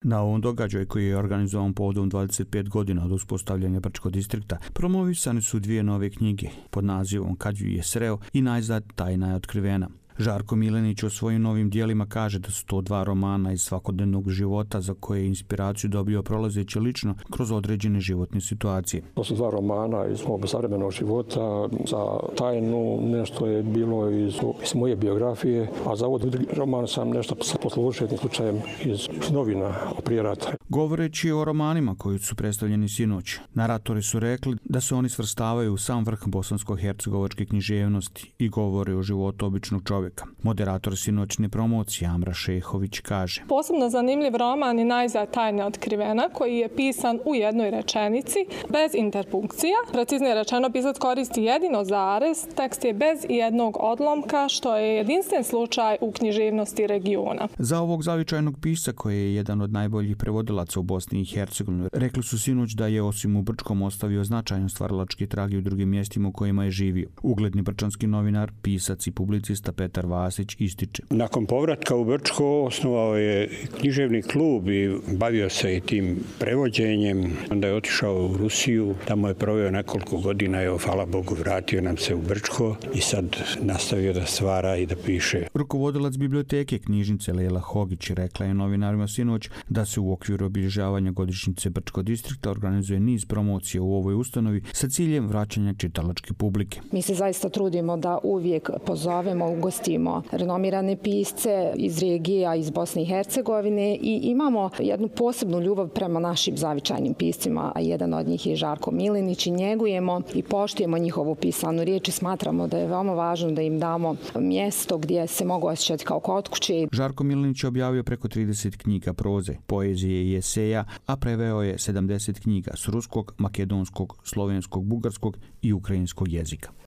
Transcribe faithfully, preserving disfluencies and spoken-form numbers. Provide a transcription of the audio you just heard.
Na ovom događaju koji je organizovan povodom dvadeset pet godina od uspostavljanja Brčkog distrikta promovisane su dvije nove knjige pod nazivom Kad ju je sreo i Najzad tajna je otkrivena. Žarko Milenić o svojim novim dijelima kaže da su to dva romana iz svakodnevnog života za koje je inspiraciju dobio prolazeći lično kroz određene životne situacije. To su dva romana iz mog savremenog života. Za tajnu nešto je bilo iz, iz moje biografije, a za ovaj roman sam nešto poslušao slučajem iz novina prije rata. Govoreći o romanima koji su predstavljeni sinoć, naratori su rekli da se oni svrstavaju u sam vrh bosansko-hercegovačke književnosti i govore o životu običnog čovjeka. Moderator sinoćne promocije Amra Šehović kaže: Posebno zanimljiv roman je Najzad tajna otkrivena, koji je pisan u jednoj rečenici, bez interpunkcija. Preciznije rečeno, pisac koristi jedino zarez, tekst je bez jednog odlomka, što je jedinstven slučaj u književnosti regiona. Za ovog zavičajnog pisca, koji je jedan od najboljih prevodilaca u Bosni i Hercegovini, rekli su sinoć da je osim u Brčkom ostavio značajan stvaralački trag i u drugim mjestima u kojima je živio. Ugledni brčanski novinar, pisac i publicista Petar Vasić ističe: Nakon povratka u Brčko osnovao je književni klub i bavio se i tim prevođenjem. Onda je otišao u Rusiju, tamo je proveo nekoliko godina, evo, hvala Bogu, vratio nam se u Brčko i sad nastavio da stvara i da piše. Rukovodilac biblioteke knjižnice Lela Hogić rekla je novinarima sinoć da se u okviru obilježavanja godišnjice Brčkog distrikta organizuje niz promocija u ovoj ustanovi sa ciljem vraćanja čitalačke publike. Mi se zaista trudimo da uvijek pozovemo, ugostimo renomirane pisce iz regija, iz Bosne i Hercegovine i imamo jednu posebnu ljubav prema našim zavičajnim piscima, a jedan od njih je Žarko Milenić i njegujemo i poštujemo njihovu pisanu riječ i smatramo da je veoma važno da im damo mjesto gdje se mogu osjećati kao kod kuće. Žarko Milenić je objavio preko trideset knjiga proze, poezije i eseja, a preveo je sedamdeset knjiga s ruskog, makedonskog, slovenskog, bugarskog i ukrajinskog jezika.